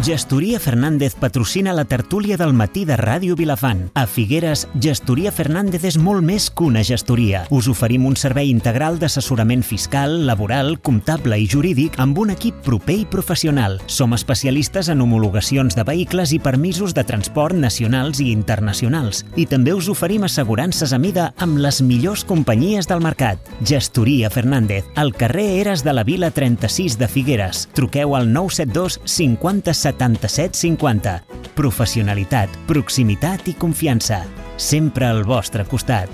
Gestoria Fernández patrocina la tertúlia del matí de Ràdio Vilafant. A Figueres, Gestoria Fernández és molt més que una gestoria. Us oferim un servei integral d'assessorament fiscal, laboral, comptable i jurídic amb un equip proper i professional. Som especialistes en homologacions de vehicles i permisos de transport nacionals i internacionals. I també us oferim assegurances a mida amb les millors companyies del mercat. Gestoria Fernández, al carrer Eres de la Vila 36 de Figueres. Truqueu al 972 50 77 50. Professionalitat, proximitat i confiança. Sempre al vostre costat.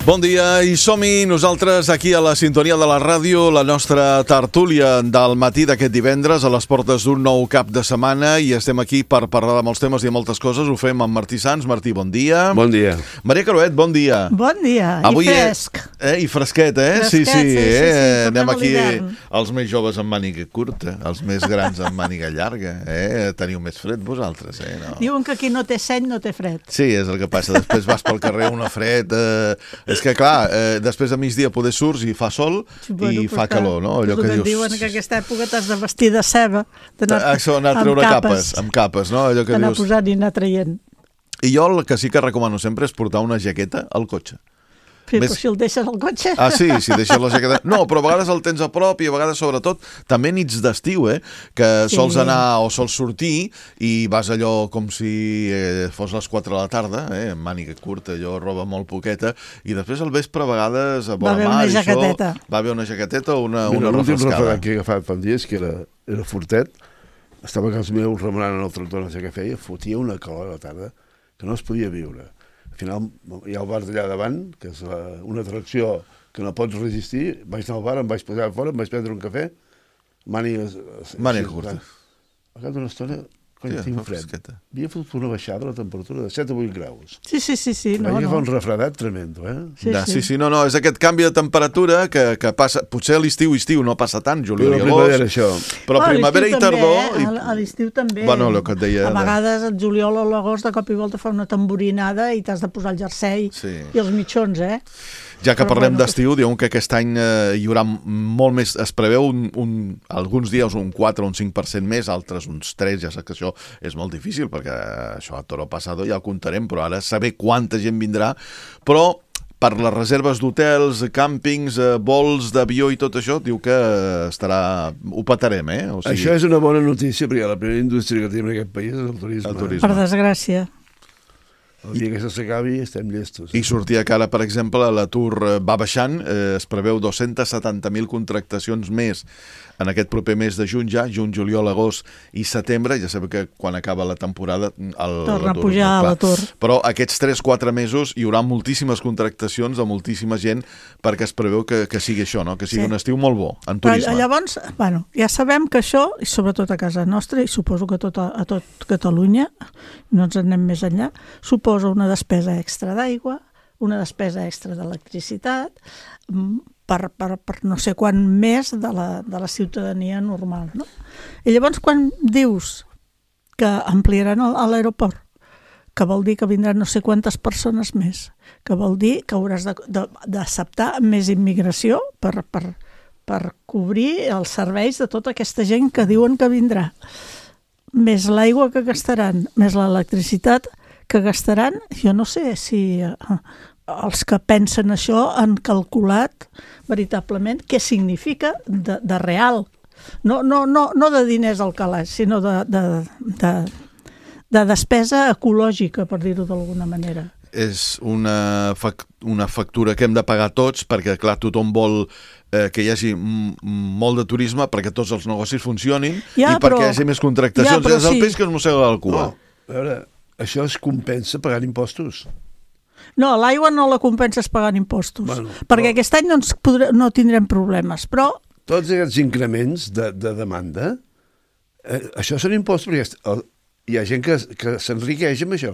Bon dia i som-hi nosaltres aquí a la sintonia de la ràdio, la nostra tertúlia del matí d'aquest divendres a les portes d'un nou cap de setmana i estem aquí per parlar de molts temes i de moltes coses. Ho fem amb Martí Sans. Martí, bon dia. Bon dia. Maria Caruet, bon dia. Bon dia. Avui i fresc. I fresquet, eh? Fresquet, sí. Anem aquí els més joves amb màniga curta, els més grans amb màniga llarga. Teniu més fred vosaltres, No. Diuen que qui no té seny no té fred. Sí, és el que passa. Després vas pel carrer una fred... És que, clar, després de migdia poder surts i fa sol i fa calor, no? Allò que dius... Diuen que aquesta època t'has de vestir de ceba, d'anar a treure amb capes, no? Allò que d'anar posant i anar traient. I jo el que sí que recomano sempre és portar una jaqueta al cotxe. Sí, però si el deixes al cotxe... Ah, sí, si deixes la jaqueta... No, però a vegades el tens a prop i a vegades, sobretot, també nits d'estiu, que sols anar o sols sortir i vas allò com si fos les 4 de la tarda, amb màniga curta, allò, roba molt poqueta, i després al vespre a vegades a vora mar i això... Va haver una jaqueteta o una refrescada. L'últim refredat que he agafat fa dies, que era fortet, estava a casa meu remenant en el tractor, no sé què feia, fotia una calor a la tarda que no es podia viure. Al final hi ha el bar d'allà davant, que és una atracció que no pots resistir. Vaig anar al bar, em vaig posar a fora, em vaig prendre un cafè, màniga curta. Al cap d'una estona, tinc fred. Havia fotut una baixada de la temperatura de 7 a 8 graus. Sí. Vaig agafar un refredat tremendo, Sí, no, és aquest canvi de temperatura que passa... Potser a l'estiu no passa tant, juliol i agost. Però primavera i tardor... A l'estiu també. Bueno, el que et deia... A vegades el juliol o l'agost de cop i volta fa una tamborinada i t'has de posar el jersei i els mitjons, Ja que parlem d'estiu, diuen que aquest any hi haurà molt més... Es preveu alguns dies un 4 o un 5% més, altres uns 3, ja saps que això és molt difícil, perquè això a Toro Pasado ja ho comptarem, però ara saber quanta gent vindrà, però per les reserves d'hotels, càmpings, vols d'avió i tot això, diu que ho petarem, O sigui... Això és una bona notícia, perquè la primera indústria que tenim en aquest país és el turisme. Per desgràcia. El dia que això s'acabi estem llestos. I sortia que ara, per exemple, l'atur va baixant, es preveu 270.000 contractacions més en aquest proper mes de juny ja, juny, juliol, agost i setembre. Ja sabeu que quan acaba la temporada torna a pujar l'atur. Però aquests 3-4 mesos hi haurà moltíssimes contractacions de moltíssima gent perquè es preveu que sigui això, que sigui un estiu molt bo en turisme. Però llavors, ja sabem que això, i sobretot a casa nostra, i suposo que a tot Catalunya, no ens anem més enllà, suposa una despesa extra d'aigua, una despesa extra d'electricitat, per no sé quant més de la ciutadania normal, no? I llavors quan dius que ampliaran l'aeroport, que vol dir que vindran no sé quantes persones més, que vol dir que hauràs d'acceptar més immigració per cobrir els serveis de tota aquesta gent que diuen que vindrà, més l'aigua que gastaran, més l'electricitat que gastaran, jo no sé si els que pensen això han calculat veritablement què significa de real. No de diners al calaix, sinó de despesa ecològica, per dir-ho d'alguna manera. És una factura que hem de pagar tots perquè, clar, tothom vol que hi hagi molt de turisme perquè tots els negocis funcionin i perquè hi hagi més contractacions. És el peix que es mossega la cua. A veure, això es compensa pagant impostos. No, l'aigua no la compenses pagant impostos, perquè aquest any no tindrem problemes, però... Tots aquests increments de demanda, això són impostos, perquè hi ha gent que s'enriqueix amb això,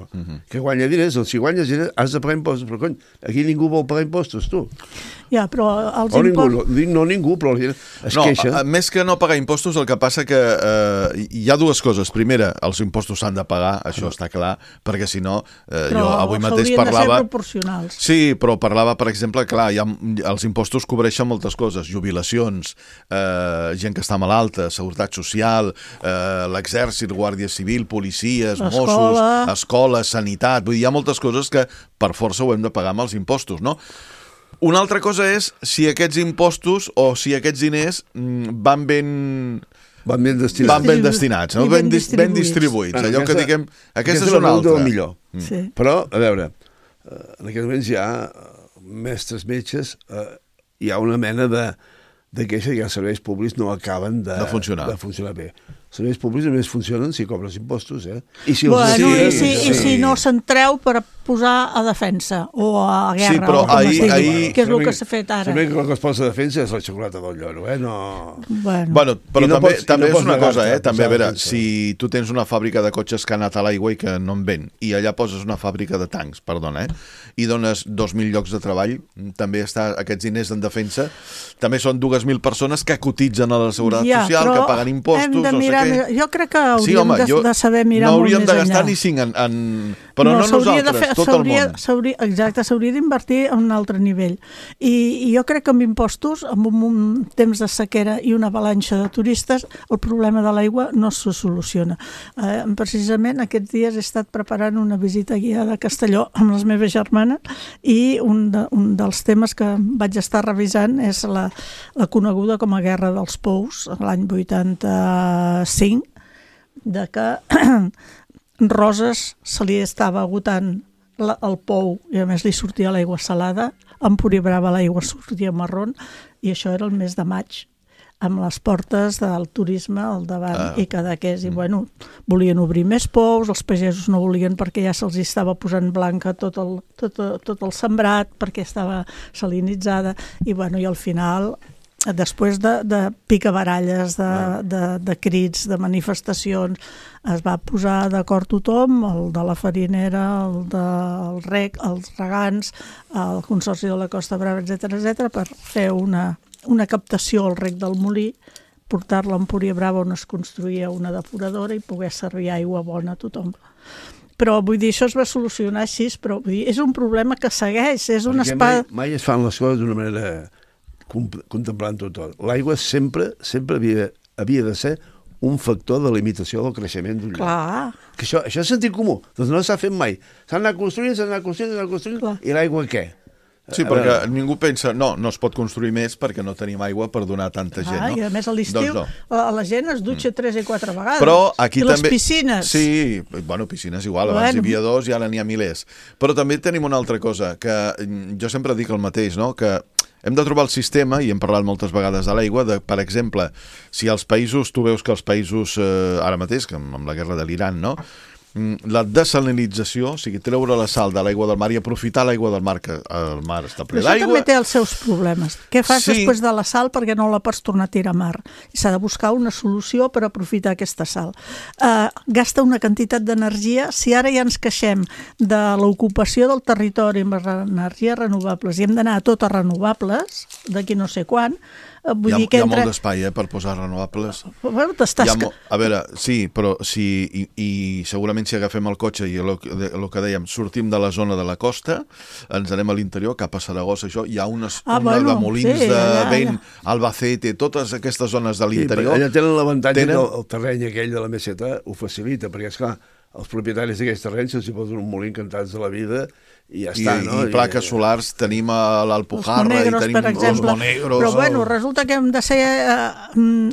que guanya diners. Doncs si guanyes diners has de pagar impostos. Però, cony, aquí ningú vol pagar impostos, tu. Ja, però els impostos... No ningú, però la gent es queixa. Més que no pagar impostos, el que passa que hi ha dues coses. Primera, els impostos s'han de pagar, això està clar, perquè si no, jo avui mateix parlava... Però s'haurien de ser proporcionals. Sí, però parlava, per exemple, clar, els impostos cobreixen moltes coses, jubilacions, gent que està malalta, seguretat social, l'exèrcit, guàrdia civil, policies, Mossos, escola, sanitat... Vull dir, hi ha moltes coses que per força ho hem de pagar amb els impostos, no? Una altra cosa és si aquests impostos o si aquests diners van ben destinats, no? ben distribuïts. Allò que diguem... Aquesta és una altra. Sí. Però, a veure, en aquests moments hi ha mestres metges, hi ha una mena de queixa que els serveis públics no acaben de funcionar bé. Els serveis públics només funcionen si cobres impostos, I si no s'entreu per posar a defensa o a guerra, sí, però que és el que s'ha fet ara. També que el que es posa a defensa és la xocolata del lloro, no... Bueno, però també és una cosa, també, a veure, si tu tens una fàbrica de cotxes que ha anat a l'aigua i que no en ven, i allà poses una fàbrica de tancs, perdona, i dones 2.000 llocs de treball, també està aquests diners en defensa, també són 2.000 persones que cotitzen a la Seguretat Social, que paguen impostos, no sé què. Jo crec que hauríem de saber mirar molt més enllà. No hauríem de gastar ni 5 però no nosaltres, tot el món. Exacte, s'hauria d'invertir a un altre nivell. I jo crec que amb impostos, amb un temps de sequera i una avalanxa de turistes, el problema de l'aigua no se soluciona. Precisament aquests dies he estat preparant una visita guiada a Castelló amb les meves germanes i un dels temes que vaig estar revisant és la coneguda com a Guerra dels Pous, l'any 85, de que Roses se li estava agotant el pou i a més li sortia l'aigua salada, a Empúria Brava l'aigua sortia marrón i això era el mes de maig amb les portes del turisme al davant i Cadaqués i volien obrir més pous, els pagesos no volien perquè ja se'ls estava posant blanca tot el sembrat perquè estava salinitzada i al final després de picabaralles, de crits, de manifestacions, es va posar d'acord tothom, el de la farinera, el del rec, els regants, el Consorci de la Costa Brava, etc., per fer una captació al rec del molí, portar-la a Empúria Brava on es construïa una depuradora i poder servir aigua bona a tothom. Però vull dir, això es va solucionar així, però vull dir, és un problema que segueix, és una espada... Mai es fan les coses d'una manera contemplant tot. L'aigua sempre havia de ser un factor de limitació del creixement d'un lloc. Clar. Que això és sentit comú, doncs no s'ha fet mai. S'han anat construint, i l'aigua què? Sí, perquè ningú pensa, no es pot construir més perquè no tenim aigua per donar tanta gent, no? I a més a l'estiu la gent es dutxa 3 i 4 vegades. Però aquí I també... les piscines. Sí, piscines igual, abans hi havia 2 i ara n'hi ha milers. Però també tenim una altra cosa, que jo sempre dic el mateix, no? Que hem de trobar el sistema, i hem parlat moltes vegades de l'aigua, per exemple, si els països, tu veus que els països, ara mateix, amb la guerra de l'Iran, no? La desalinització, o sigui, treure la sal de l'aigua del mar i aprofitar l'aigua del mar, que el mar està ple d'aigua... Però això també té els seus problemes. Què fas després de la sal perquè no la pots tornar a tirar a mar? I s'ha de buscar una solució per aprofitar aquesta sal. Gasta una quantitat d'energia. Si ara ja ens queixem de l'ocupació del territori amb energies renovables i hem d'anar a totes renovables, d'aquí no sé quan, hi ha molt d'espai per posar renovables. A veure, sí, però i segurament si agafem el cotxe i el que dèiem, sortim de la zona de la costa, ens anem a l'interior, cap a Saragossa, això, hi ha una de molins de vent, Albacete, totes aquestes zones de l'interior. Allà tenen l'avantatge que el terreny aquell de la meseta ho facilita, perquè esclar, els propietaris d'aquests terrenys se'ls hi posen un molí encantats de la vida i ja està, no? I plaques solars tenim a l'Alpujarra i tenim els Monegros. Però resulta que hem de ser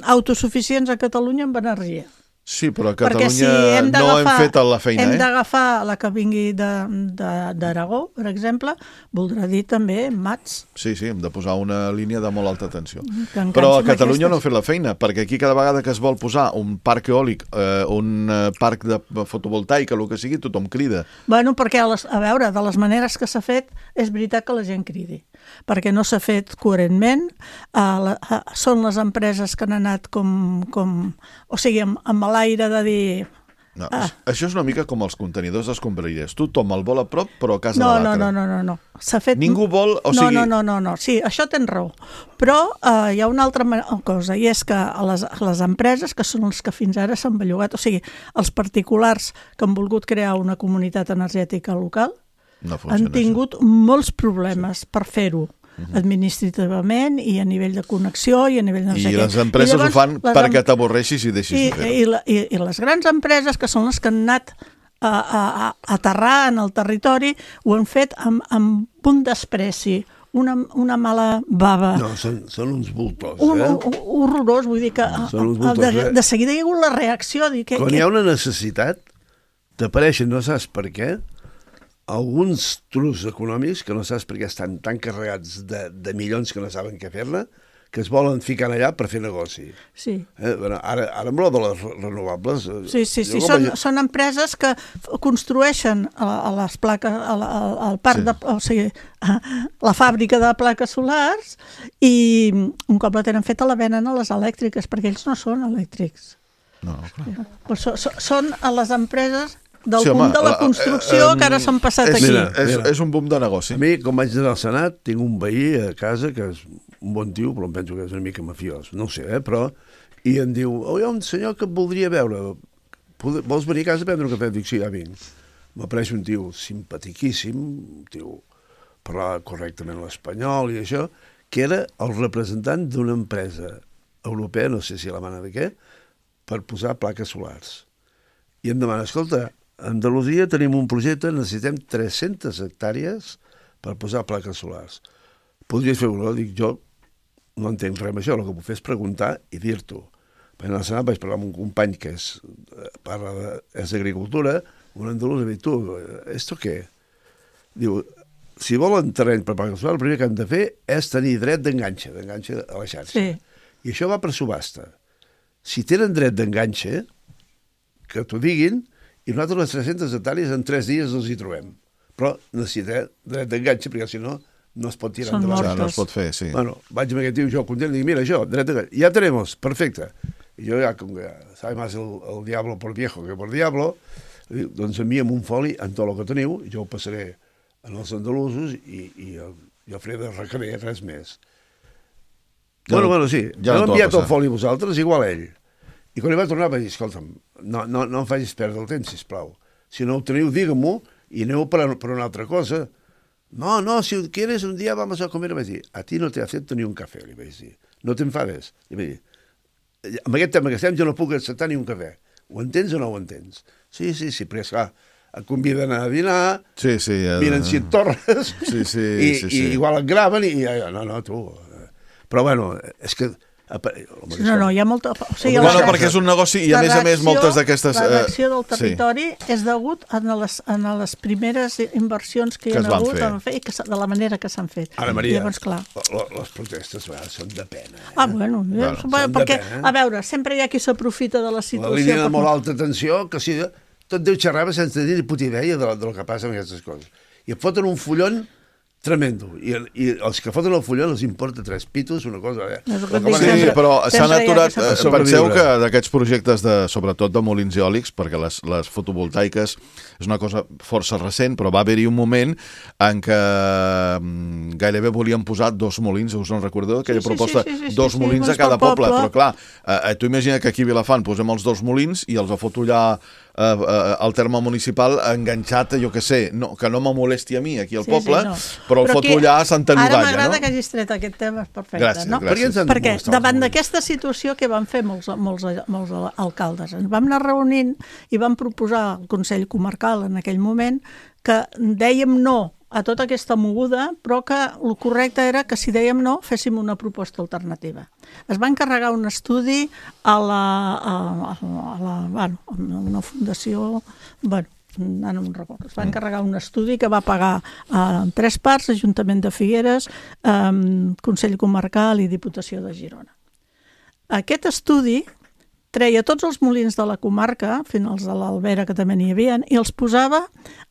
autosuficients a Catalunya amb energia. Sí, però a Catalunya no hem fet la feina. Hem d'agafar la que vingui d'Aragó, per exemple, voldrà dir també mats. Sí, hem de posar una línia de molt alta tensió. Però a Catalunya no ha fet la feina, perquè aquí cada vegada que es vol posar un parc eòlic, un parc de fotovoltaica, el que sigui, tothom crida. Bueno, perquè, a veure, de les maneres que s'ha fet, és veritat que la gent cridi, perquè no s'ha fet coherentment, són les empreses que han anat com o sigui, amb l'aire de dir No, això és una mica com els contenidors d'escombraries. Tothom el vol a prop, però a casa de l'altre. No. S'ha fet... Ningú vol... No. Sí, això tens raó. Però hi ha una altra cosa, i és que les empreses, que són els que fins ara s'han bellugat, o sigui, els particulars que han volgut crear una comunitat energètica local, han tingut molts problemes per fer-ho. Administrativament i a nivell de connexió i a nivell de... I les empreses ho fan perquè t'avorreixis i deixis de fer-ho. I les grans empreses, que són les que han anat a aterrar en el territori, ho han fet amb un despreci, una mala bava. No, són uns bultos, horrorós, vull dir que de seguida hi ha hagut la reacció. Quan hi ha una necessitat, t'apareixen, no saps per què, alguns trucs econòmics que no saps per què estan tan carregats de milions que no saben què fer-ne, que es volen ficar allà per fer negoci. Sí. Bueno, ara amb lo de les renovables... Sí. Són empreses que construeixen a les plaques, al parc o sigui, la fàbrica de plaques solars, i un cop la tenen feta la venen a les elèctriques, perquè ells no són elèctrics. No, clar. Però són a les empreses del boom de la construcció que ara s'han passat aquí. És un boom de negoci. A mi, com vaig anar al Senat, tinc un veí a casa que és un bon tio, però em penso que és una mica mafiós, no ho sé, però... I em diu, hi ha un senyor que et voldria veure, vols venir a casa a prendre un cafè? Dic, sí, ja vinc. M'apareix un tio simpatiquíssim, un tio parlava correctament l'espanyol i això, que era el representant d'una empresa europea, no sé si alemanya de què, per posar plaques solars. I em demana, escolta, a Andalusia tenim un projecte, necessitem 300 hectàrees per posar plaques solars. Podries fer-ho? Dic, jo no entenc res amb això, el que puc fer és preguntar i dir-t'ho. En el Senat vaig parlar amb un company que és d'agricultura, un andalús, i dic, tu, ¿esto què? Diu, si volen terreny per plaques solars, el primer que han de fer és tenir dret d'enganxe a la xarxa. Sí. I això va per subhasta. Si tenen dret d'enganxe, que t'ho diguin, i nosaltres les 300 hectàrees en 3 dies els hi trobem. Però necessita dret d'enganxe, perquè si no, no es pot tirar endavant. No es pot fer, sí. Bueno, vaig amb aquest tio, jo content, i dic, mira, això, dret d'enganxe, ja tenemos, perfecte. I jo ja, com que sabe más el diablo por viejo que por diablo, doncs enviem un foli en tot el que teniu, jo ho passaré en els andalusos i jo faré de requerir res més. Bueno, sí, ja heu enviat el foli a vosaltres, igual ell. I quan hi va tornar va dir, escolta'm, no em facis perdre el temps, sisplau. Si no ho teniu, digue-m'ho i aneu per una altra cosa. No, si quieres un dia vamos a comer. Vaig dir, a ti no te acepto ni un cafè, li vaig dir. No t'enfades. Li vaig dir, amb aquest tema que estem jo no puc acceptar ni un cafè. Ho entens o no ho entens? Sí, però esclar, et conviden a dinar, miren si et torres, i igual et graven, i no, tu... Però bueno, és que... No, hi ha molta... perquè és un negoci i a més moltes d'aquestes... La reacció del territori és degut a les primeres inversions que hi ha hagut i de la manera que s'han fet. Ara, Maria, llavors, clar, les protestes són de pena. Bueno, perquè, a veure, sempre hi ha qui s'aprofita de la situació. La línia de molt alta tensió, que sí, tot deu xerrava sense dir ni puta idea del que passa amb aquestes coses. I et foten un fullon tremendo. I els que foten el fullon els importa 3 pitos, una cosa... Sí, però s'han aturat... Penseu que d'aquests projectes, sobretot de molins eòlics, perquè les fotovoltaiques és una cosa força recent, però va haver-hi un moment en què gairebé volien posar 2 molins, us en recordeu? Aquella proposta, 2 molins a cada poble. Però clar, tu imagina que aquí a Vilafant posem els 2 molins i els foto allà al terme municipal enganxat, jo què sé, que no me molesti a mi aquí al poble, però el foto allà a Santa Llogaia. Ara m'agrada que hagis tret aquest tema, és perfecte. Gràcies. Perquè davant d'aquesta situació que van fer molts alcaldes, ens vam anar reunint i vam proposar al Consell Comarcal en aquell moment que dèiem no a tota aquesta moguda, però que el correcte era que si dèiem no, féssim una proposta alternativa. Es va encarregar un estudi a una fundació, no me'n recordo, es va encarregar un estudi que va pagar en 3 parts, Ajuntament de Figueres, Consell Comarcal i Diputació de Girona. Aquest estudi treia tots els molins de la comarca, fins als de l'Albera, que també n'hi havia, i els posava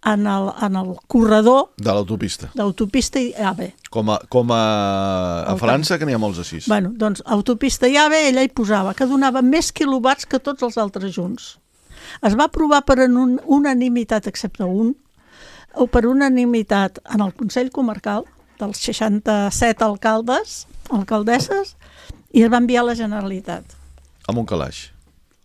en el corredor de l'autopista. D'autopista i AVE. Com a França, que n'hi ha molts així. Doncs autopista i AVE, ella hi posava, que donava més quilowatts que tots els altres junts. Es va aprovar per unanimitat, excepte un, o per unanimitat en el Consell Comarcal dels 67 alcaldesses, i es va enviar a la Generalitat. Amb un calaix.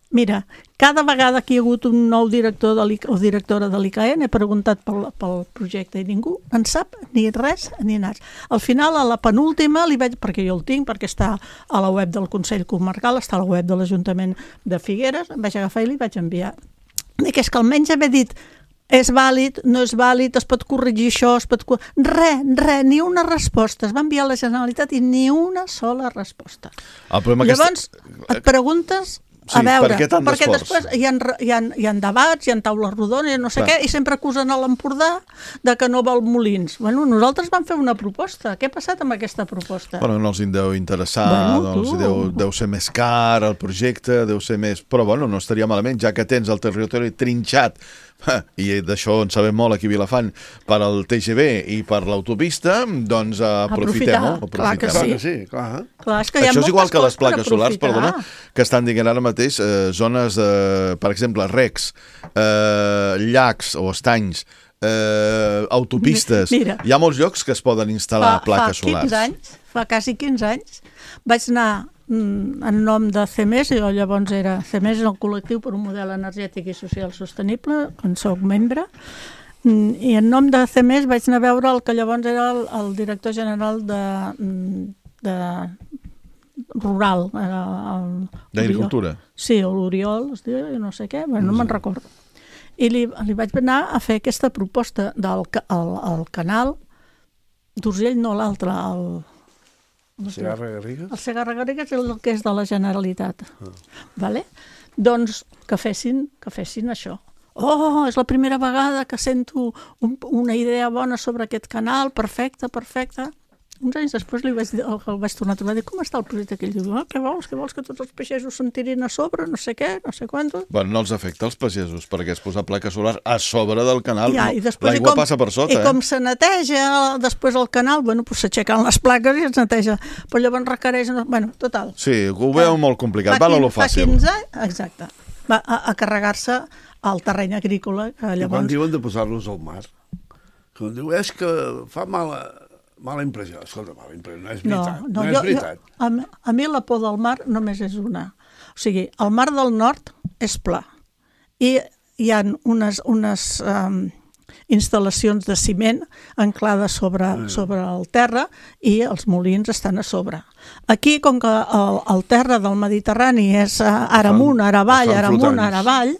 Mira, cada vegada que hi ha hagut un nou director o directora de l'ICAEN he preguntat pel projecte i ningú en sap ni res ni nas. Al final, a la penúltima, perquè jo el tinc, perquè està a la web del Consell Comarcal, està a la web de l'Ajuntament de Figueres, em vaig agafar i li vaig enviar. Dic, és que almenys haver dit és vàlid, no és vàlid, es pot corregir això, res, ni una resposta. Es va enviar a la Generalitat i ni una sola resposta. Llavors, et preguntes... Sí, a veure, perquè després hi ha debats, hi ha taules rodones, no sé què, i sempre acusen a l'Empordà de que no vol molins. Bueno, nosaltres vam fer una proposta. Què ha passat amb aquesta proposta? Bueno, no els deu interessar, deu ser més car el projecte, deu ser més... Però bueno, no estaria malament, ja que tens el territori trinxat, i d'això en sabem molt aquí a Vilafant, per al TGV i per l'autopista, doncs aprofitem-ho. Clar que sí. Clar, és que hi ha això és igual que les per plaques solars, perdona, que estan dient ara mateix zones, per exemple, recs, llacs o estanys, autopistes. Mira, hi ha molts llocs que es poden instal·lar plaques solars. Fa quasi 15 anys vaig anar en nom de CEMES, jo llavors era CEMES, el col·lectiu per un model energètic i social sostenible, on soc membre, i en nom de CEMES vaig anar a veure el que llavors era el director general de rural. D'agricultura. Sí, l'Oriol, es diu, no sé què, bueno, no me'n recordo. I li vaig anar a fer aquesta proposta del canal d'Urgell, no l'altre, el Segarra-Garrigues? El Segarra-Garrigues és el que és de la Generalitat. Vale? Doncs que fessin això. Oh, és la primera vegada que sento una idea bona sobre aquest canal, perfecte. Uns anys després el vaig tornar a trobar i dir, com està el projecte aquell? Diu, què vols que tots els pagesos se'n tirin a sobre, no sé què, no sé quantos. Bueno, no els afecta els pagesos, perquè es posa placa solar a sobre del canal, l'aigua passa per sota. I com se neteja després el canal, bueno, s'aixequen les plaques i es neteja, però llavors requereix... Bueno, total. Sí, ho veu molt complicat, va a lo fàcil. Fa 15 anys, exacte, va a carregar-se al terreny agrícola. I quan diuen de posar-los al mar, quan diu, és que fa mala impressió. Escolta, mala impressió, no és veritat. No és veritat. A mi la por del mar només és una. O sigui, el mar del nord és pla. I hi ha unes instal·lacions de ciment anclades sobre el terra i els molins estan a sobre. Aquí, com que el terra del Mediterrani és ara amunt, ara avall,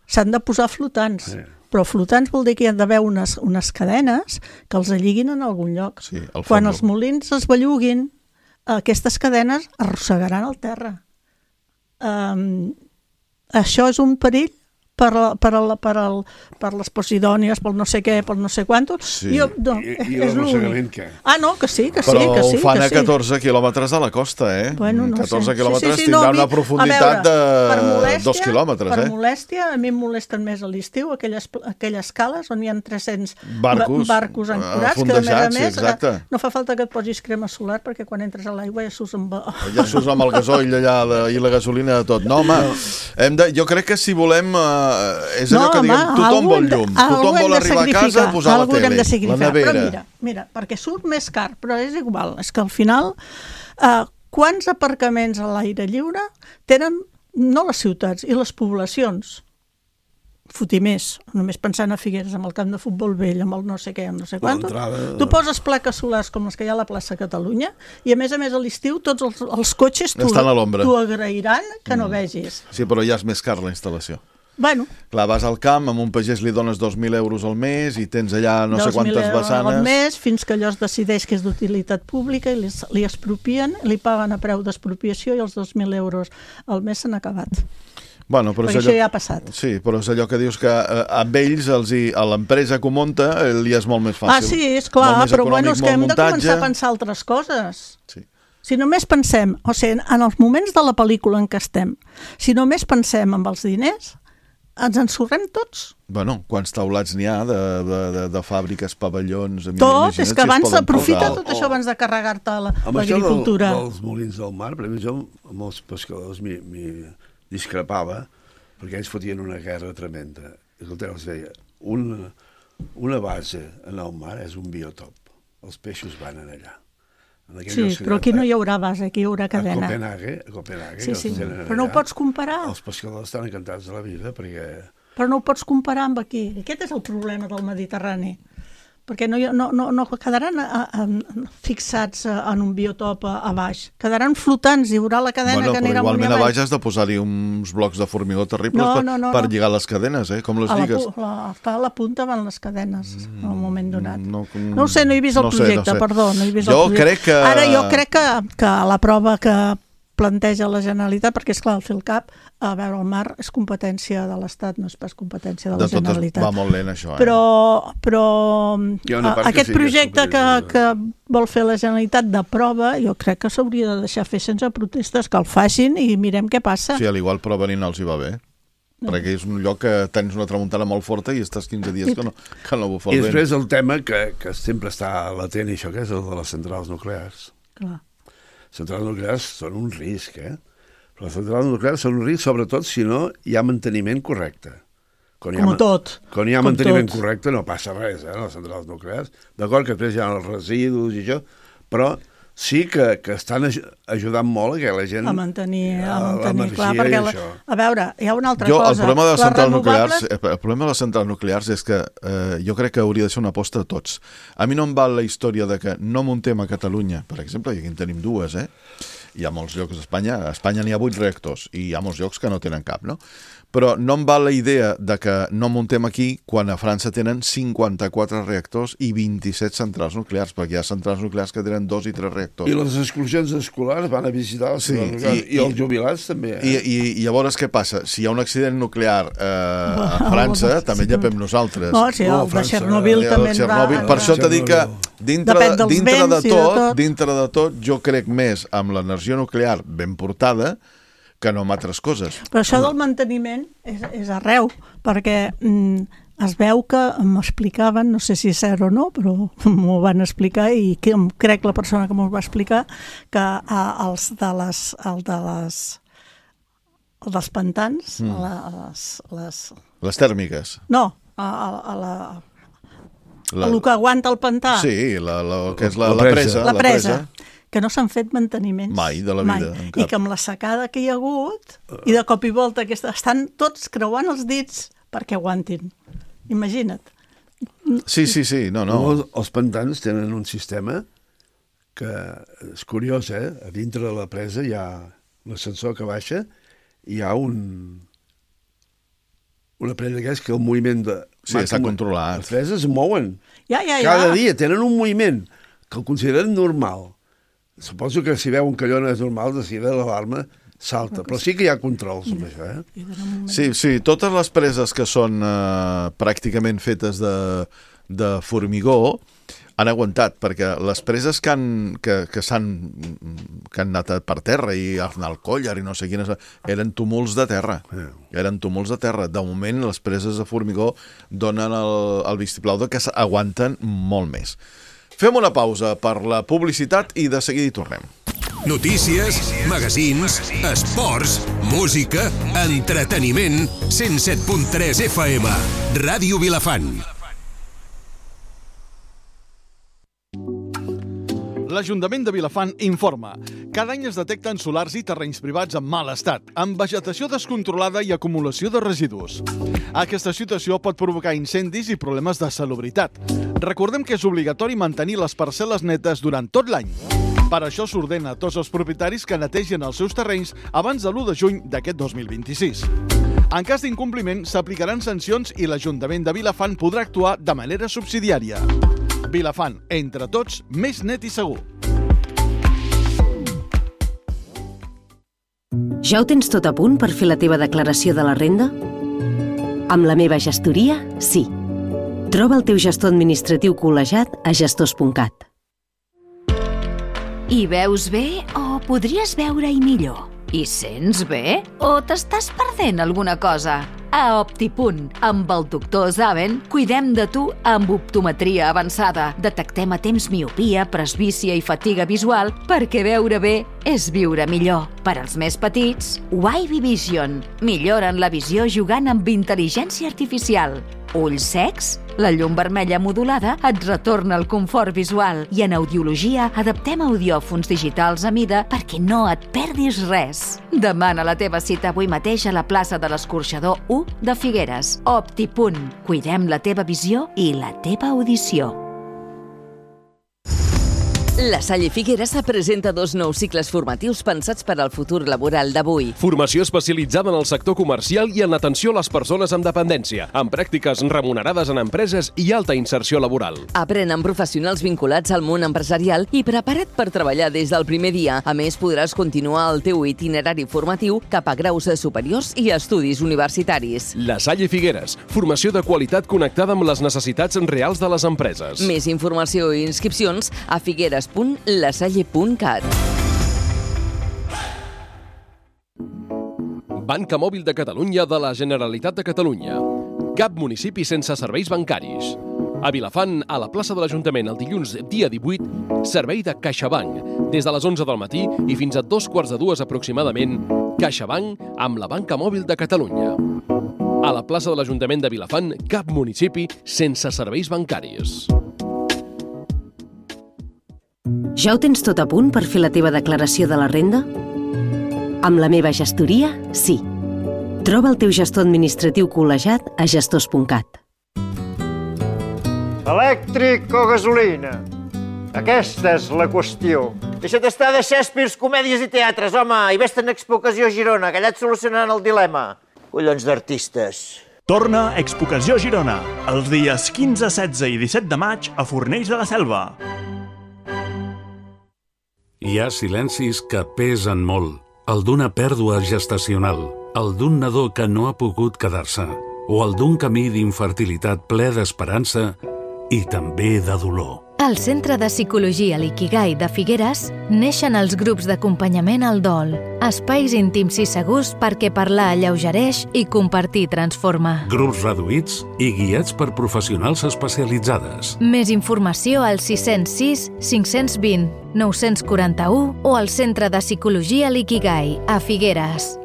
s'han de posar flotants. Sí. Però flotants vol dir que hi ha d'haver unes cadenes que els alliguin en algun lloc. Sí, quan els molins es belluguin, aquestes cadenes arrossegaran el terra. Això és un perill per les posidònies, pel no sé què, pel no sé quantos. Sí. I l'arrossegament què? No, que sí. Però ho fan a 14 quilòmetres de la costa, eh? Bueno, no 14 sé. quilòmetres tindran una profunditat de 2 quilòmetres, Per molèstia, a mi em molesten més a l'estiu aquelles cales on hi ha 300 barcos ancorats, que a més no fa falta que et posis crema solar perquè quan entres a l'aigua ja surts amb el gasoil allà i la gasolina de tot. No, home, jo crec que si volem... és allò que diem, tothom vol llum, tothom vol arribar a casa a posar la tele, la nevera. Però mira, perquè surt més car, però és igual, és que al final quants aparcaments a l'aire lliure tenen no les ciutats i les poblacions? Fotimers, només pensant a Figueres amb el camp de futbol vell, amb el no sé què, no sé quant. Tu poses plaques solars com les que hi ha a la plaça Catalunya i a més a l'estiu tots els cotxes t'ho agrairan que no vegis. Sí, però ja és més car la instal·lació. Bueno. Clar, vas al camp, amb un pagès li dones 2.000 euros al mes i tens allà no sé quantes vessanes. 2.000 euros al mes, fins que allò es decideix que és d'utilitat pública i li expropien, li paguen a preu d'expropiació i els 2.000 euros al mes s'han acabat. Bueno, però perquè això ja ha passat. Sí, però és allò que dius que amb ells, a l'empresa que ho munta, li és molt més fàcil. Sí, és clar, però bueno, és que hem de començar a pensar altres coses. Sí. Si només pensem, o sigui, en els moments de la pel·lícula en què estem, si només pensem en els diners, ens ensorrem tots. Bueno, quants taulats n'hi ha de fàbriques, pavellons... Tot, és que abans s'aprofita tot això abans de carregar-te l'agricultura. Amb això dels molins del mar, per exemple, jo amb els pescadors m'hi discrepava, perquè ells fotien una guerra tremenda. Escolteu, els deia, una base en el mar és un biotop. Els peixos van allà. Sí, però aquí no hi haurà base, aquí hi haurà cadena. A Copenhague. Sí, però no ho pots comparar. Els pescadors estan encantats de la vida perquè... Però no ho pots comparar amb aquí. Aquest és el problema del Mediterrani. Perquè no quedaran fixats en un biotop a baix. Quedaran flotants, hi haurà la cadena que anirà molt igualment a baix has de posar-hi uns blocs de formigó terribles per lligar les cadenes, com les lligues. A la punta van les cadenes en un moment donat. No ho sé, no he vist el projecte, perdó. No he vist el projecte. Ara jo crec que la prova que planteja la Generalitat, perquè és clar, el FILCAP, a veure, el mar és competència de l'Estat, no és pas competència de la Generalitat. Va molt lent això, Però aquest projecte que vol fer la Generalitat de prova, jo crec que s'hauria de deixar fer sense protestes, que el facin i mirem què passa. Sí, al igual prova ni no els hi va bé. Perquè és un lloc que tens una tramuntana molt forta i estàs 15 dies que no bufa el vent. I després el tema que sempre està latent, i això que és el de les centrals nuclears. Clar. Centrals nuclears són un risc, Però les centrals nuclears són un risc, sobretot si no hi ha manteniment correcte. Quan hi ha manteniment correcte no passa res, les centrals nuclears. D'acord que després hi ha els residus i això, però sí que estan ajudant molt que la gent... A mantenir clar, perquè, a veure, hi ha una altra cosa. El problema de les centrals nuclears és que jo crec que hauria de ser una aposta de tots. A mi no em val la història de que no muntem a Catalunya, per exemple, i aquí en tenim dues, Hi ha molts llocs d'Espanya. A Espanya n'hi ha 8 reactors i hi ha molts llocs que no tenen cap, no? Però no em val la idea de que no muntem aquí quan a França tenen 54 reactors i 27 centrals nuclears, perquè hi ha centrals nuclears que tenen 2 i 3 reactors. I les excursions escolars van a visitar les centrals nuclears, i els jubilats també. I llavors què passa? Si hi ha un accident nuclear a França, també llepem nosaltres. No, sí, el de Chernobyl també en va... Per això t'he dit que dintre de tot, jo crec més amb l'energia nuclear ben portada que no amb altres coses. Però això del manteniment és arreu, perquè es veu que m'explicaven, no sé si és cert o no, però m'ho van explicar i crec la persona que m'ho va explicar, que els dels pantans, les tèrmiques. No, el que aguanta el pantà. Sí, que és la presa. La presa. Que no s'han fet manteniments. Mai, de la vida. I que amb la secada que hi ha hagut, i de cop i volta, estan tots creuant els dits perquè aguantin. Imagina't. Sí, no. Els pantans tenen un sistema que és curiós, A dintre de la presa hi ha l'ascensor que baixa i hi ha un aparell d'aquests que el moviment de... Sí, està controlat. Les preses es mouen. Ja. Cada dia tenen un moviment que el consideren normal. Suposo que si veu un calló no és normal, de seguida l'alarma salta. Però sí que hi ha controls amb això, Sí, totes les preses que són pràcticament fetes de formigó han aguantat, perquè les preses que han anat per terra i Arnalcollar i no sé quines, eren túmuls de terra. De moment, les preses de formigó donen el vistiplau de que aguanten molt més. Fem una pausa per la publicitat i de seguida hi tornem. Notícies, magazins, esports, música, entreteniment, 107.3 FM, Ràdio Vilafant. L'Ajuntament de Vilafant informa. Cada any es detecten solars i terrenys privats en mal estat, amb vegetació descontrolada i acumulació de residus. Aquesta situació pot provocar incendis i problemes de salubritat. Recordem que és obligatori mantenir les parcel·les netes durant tot l'any. Per això s'ordena a tots els propietaris que netegin els seus terrenys abans de l'1 de juny d'aquest 2026. En cas d'incompliment, s'aplicaran sancions i l'Ajuntament de Vilafant podrà actuar de manera subsidiària. Vilafant, entre tots, més net i segur. Ja ho tens tot a punt per fer la teva declaració de la renda? Amb la meva gestoria, sí. Troba el teu gestor administratiu col·legiat a gestors.cat. Hi veus bé o podries veure-hi millor? Hi sents bé o t'estàs perdent alguna cosa? a Optipunt. Amb el doctor Zaven cuidem de tu amb optometria avançada. Detectem a temps miopia, presbícia i fatiga visual perquè veure bé és viure millor. Per als més petits, Wavy Vision. Milloren la visió jugant amb intel·ligència artificial. Ulls secs? La llum vermella modulada et retorna el confort visual i en audiologia adaptem audiòfons digitals a mida perquè no et perdis res. Demana la teva cita avui mateix a la plaça de l'Escorxador 1 de Figueres. Optipunt. Cuidem la teva visió i la teva audició. La Salle Figueres presenta 2 nous cicles formatius pensats per al futur laboral d'avui. Formació especialitzada en el sector comercial i en l'atenció a les persones amb dependència, amb pràctiques remunerades en empreses i alta inserció laboral. Aprèn amb professionals vinculats al món empresarial i preparat per treballar des del primer dia. A més, podràs continuar el teu itinerari formatiu cap a graus superiors i estudis universitaris. La Salle Figueres, formació de qualitat connectada amb les necessitats reals de les empreses. Més informació i inscripcions a figueres.lasalle.cat. Banca Mòbil de Catalunya de la Generalitat de Catalunya. Cap municipi sense serveis bancaris. A Vilafant, a la plaça de l'Ajuntament, el dilluns dia 18, servei de CaixaBank. Des de les 11 del matí i fins a 2:45 aproximadament, CaixaBank amb la Banca Mòbil de Catalunya. A la plaça de l'Ajuntament de Vilafant, cap municipi sense serveis bancaris. Ja ho tens tot a punt per fer la teva declaració de la renda? Amb la meva gestoria, sí. Troba el teu gestor administratiu col·legiat a gestors.cat. Elèctric o gasolina? Aquesta és la qüestió. Deixa't estar de Shakespeare, comèdies i teatres, home, i vés-te'n a Expocació Girona, que allà et solucionaran el dilema. Collons d'artistes. Torna Expocació Girona, els dies 15, 16 i 17 de maig a Fornells de la Selva. Hi ha silencis que pesen molt. El d'una pèrdua gestacional, el d'un nadó que no ha pogut quedar-se, o el d'un camí d'infertilitat ple d'esperança i també de dolor. Al Centre de Psicologia L'Ikigai de Figueres neixen els grups d'acompanyament al dol, espais íntims i segurs perquè parlar alleugereix i compartir transforma. Grups reduïts i guiats per professionals especialitzades. Més informació al 606 520 941 o al Centre de Psicologia L'Ikigai a Figueres.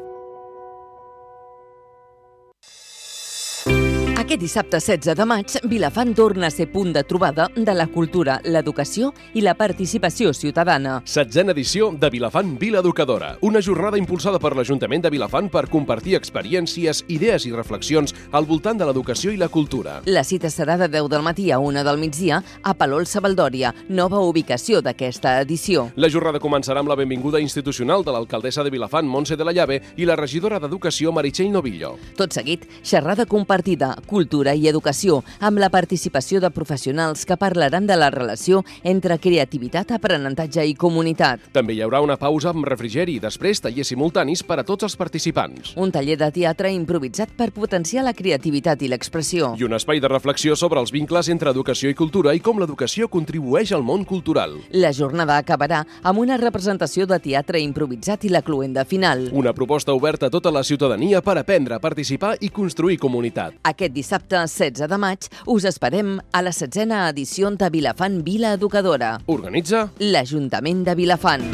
Aquest dissabte 16 de maig, Vilafant torna a ser punt de trobada de la cultura, l'educació i la participació ciutadana. 16a edició de Vilafant Vila Educadora, una jornada impulsada per l'Ajuntament de Vilafant per compartir experiències, idees i reflexions al voltant de l'educació i la cultura. La cita serà de 10 del matí a 1 del migdia a Palol Sabaldòria, nova ubicació d'aquesta edició. La jornada començarà amb la benvinguda institucional de l'alcaldessa de Vilafant, Montse de la Llave, i la regidora d'Educació, Meritxell Novillo. Tot seguit, xerrada compartida, cultura i educació, amb la participació de professionals que parlaran de la relació entre creativitat, aprenentatge i comunitat. També hi haurà una pausa amb refrigeri i després tallers simultanis per a tots els participants. Un taller de teatre improvisat per potenciar la creativitat i l'expressió. I un espai de reflexió sobre els vincles entre educació i cultura i com l'educació contribueix al món cultural. La jornada acabarà amb una representació de teatre improvisat i la cloenda final. Una proposta oberta a tota la ciutadania per aprendre, participar i construir comunitat. Aquest dissabte 16 de maig us esperem a la 16a edició de Vilafant Vila Educadora. Organitza l'Ajuntament de Vilafant.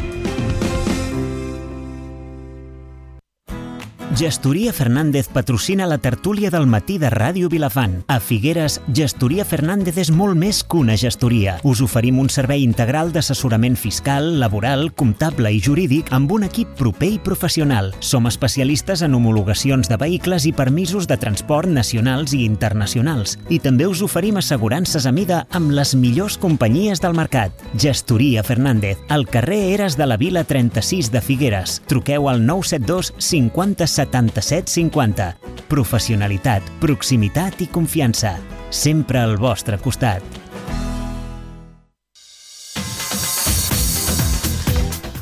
Gestoria Fernández patrocina la tertúlia del matí de Ràdio Vilafant. A Figueres, Gestoria Fernández és molt més que una gestoria. Us oferim un servei integral d'assessorament fiscal, laboral, comptable i jurídic amb un equip proper i professional. Som especialistes en homologacions de vehicles i permisos de transport nacionals i internacionals. I també us oferim assegurances a mida amb les millors companyies del mercat. Gestoria Fernández, al carrer Eres de la Vila 36 de Figueres. Truqueu al 972 50 77 50. Professionalitat, proximitat i confiança. Sempre al vostre costat.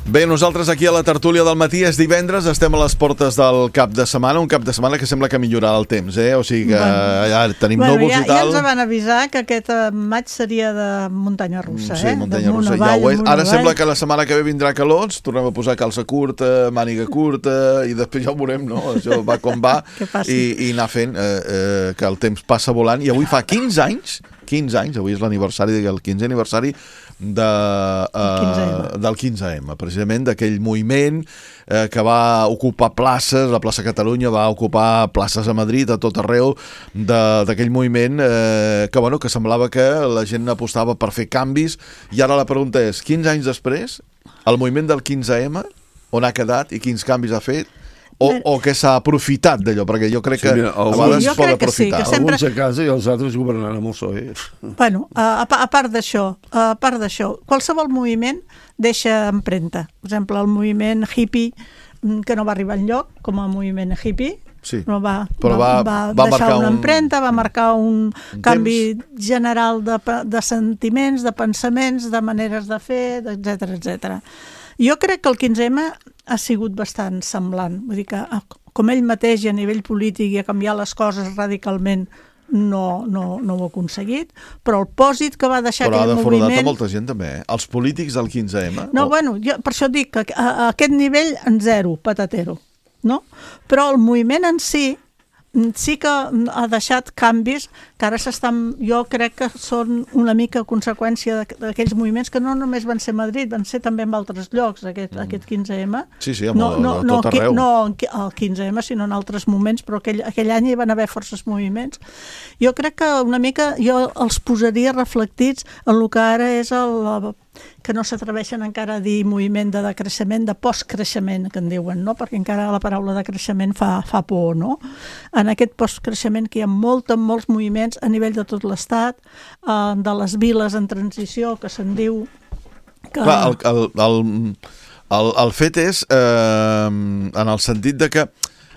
Bé, nosaltres aquí a la tertúlia del matí és divendres, estem a les portes del cap de setmana, un cap de setmana que sembla que millorarà el temps, O sigui que ja tenim núvols i tal. Ja ens van avisar que aquest maig seria de muntanya russa, Sí, muntanya russa, ja ho és. Ara sembla que la setmana que ve vindrà calor, ens tornem a posar calça curta, màniga curta, i després ja ho veurem, no? Això va com va, i anar fent que el temps passa volant. I avui fa 15 anys, avui és l'aniversari, el 15è aniversari del 15M, precisament d'aquell moviment que va ocupar places, la plaça Catalunya va ocupar places a Madrid, a tot arreu, d'aquell moviment que semblava que la gent apostava per fer canvis, i ara la pregunta és, 15 anys després, el moviment del 15M, on ha quedat i quins canvis ha fet? O que s'ha aprofitat d'allò, perquè jo crec que a vegades es pot aprofitar. Alguns a casa i els altres governant amb el PSOE. Bueno, a part d'això, qualsevol moviment deixa empremta. Per exemple, el moviment hippie, que no va arribar enlloc, com a moviment hippie, va deixar una empremta, va marcar un canvi general de sentiments, de pensaments, de maneres de fer, etc. Jo crec que el 15M ha sigut bastant semblant. Vull dir que, com ell mateix a nivell polític i a canviar les coses radicalment no ho ha aconseguit, però el pòsit que va deixar aquell moviment... Però ha defraudat a molta gent també, Els polítics del 15M? No, bueno, jo per això dic que a aquest nivell en zero, patatero, no? Però el moviment en sí que ha deixat canvis que ara jo crec que són una mica conseqüència d'aquells moviments que no només van ser a Madrid, van ser també en altres llocs, aquest 15M. Sí, a tot arreu. No al 15M, sinó en altres moments, però aquell any hi van haver forces moviments. Jo crec que una mica jo els posaria reflectits en el que ara és que no s'atreveixen encara a dir moviment de decreixement, de postcreixement, que en diuen, no? Perquè encara la paraula de creixement fa por, no? En aquest postcreixement que hi ha molts moviments a nivell de tot l'Estat, de les viles en transició, que se'n diu... Clar, el fet és, en el sentit de que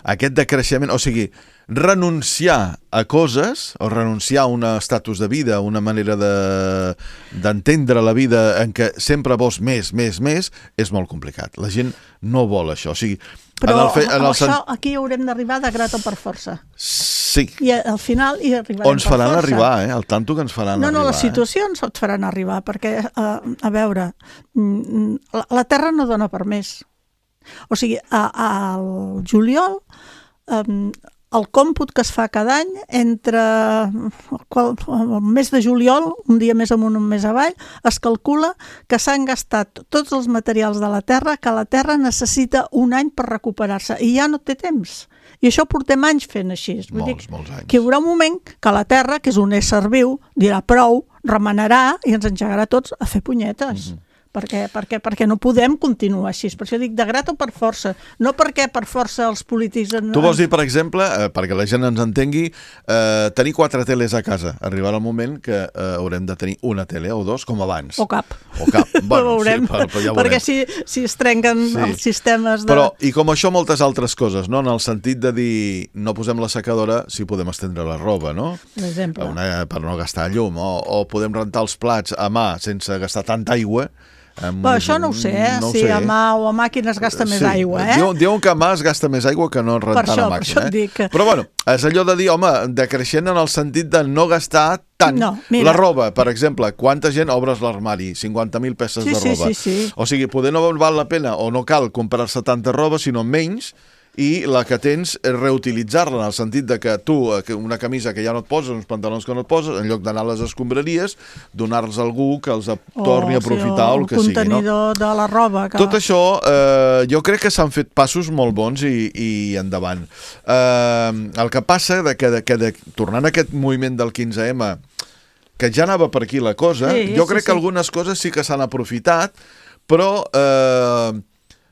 aquest decreixement, o sigui, renunciar a coses o renunciar a un estatus de vida, una manera d'entendre la vida en què sempre vols més, és molt complicat. La gent no vol això. O sigui, però aquí haurem d'arribar de grat o per força. Sí. I al final hi arribarem per força. O ens faran arribar, el tanto que ens faran arribar. No, les situacions et faran arribar, perquè, a veure, la Terra no dona per més. O sigui, al juliol... El còmput que es fa cada any entre el mes de juliol, un dia més amunt, un mes avall, es calcula que s'han gastat tots els materials de la Terra, que la Terra necessita un any per recuperar-se, i ja no té temps. I això portem anys fent així. Molts anys. Que hi haurà un moment que la Terra, que és un ésser viu, dirà prou, remenarà i ens engegarà tots a fer punyetes. Perquè no podem continuar així. Per això dic de grat o per força. No perquè per força els polítics... Tu vols dir, per exemple, perquè la gent ens entengui, tenir 4 teles a casa. Arribarà el moment que haurem de tenir una tele o 2, com abans. O cap. Bueno, veurem. Sí, ja perquè si es trenquen els sistemes de... Però, i com això, moltes altres coses, no? En el sentit de dir, no posem la secadora si podem estendre la roba, no? Per exemple. Per no gastar llum. O podem rentar els plats a mà sense gastar tanta aigua. Això no ho sé, si a mà o a màquina es gasta més aigua, Diuen que a mà es gasta més aigua que no rentant a màquina. Per això et dic. Però bueno, és allò de dir, home, decreixent en el sentit de no gastar tant. La roba, per exemple, quanta gent obres l'armari? 50.000 peces de roba. Sí. O sigui, poder no val la pena o no cal comprar-se tanta roba, sinó menys, i la que tens és reutilitzar-la, en el sentit de que tu, una camisa que ja no et poses, uns pantalons que no et poses, en lloc d'anar a les escombraries, donar-los a algú que els torni a aprofitar o el que sigui. O el contenidor de la roba. Tot això, jo crec que s'han fet passos molt bons i endavant. El que passa, tornant a aquest moviment del 15M, que ja anava per aquí la cosa, jo crec que algunes coses sí que s'han aprofitat, però...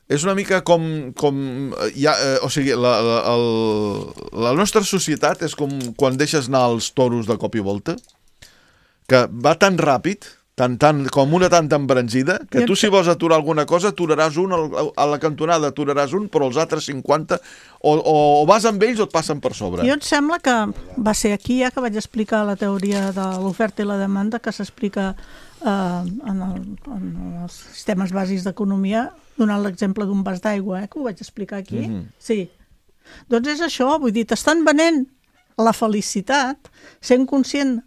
és una mica com o sigui, la nostra societat és com quan deixes anar els toros de cop i volta, que va tan ràpid, com una tanta embranzida, que tu si vols aturar alguna cosa, aturaràs un, a la cantonada aturaràs un, però els altres 50 o vas amb ells o et passen per sobre. Jo em sembla que va ser aquí ja que vaig explicar la teoria de l'oferta i la demanda, que s'explica en els sistemes bàsics d'economia, donant l'exemple d'un vas d'aigua, que ho vaig explicar aquí. Sí. Doncs és això, vull dir, t'estan venent la felicitat sent conscient.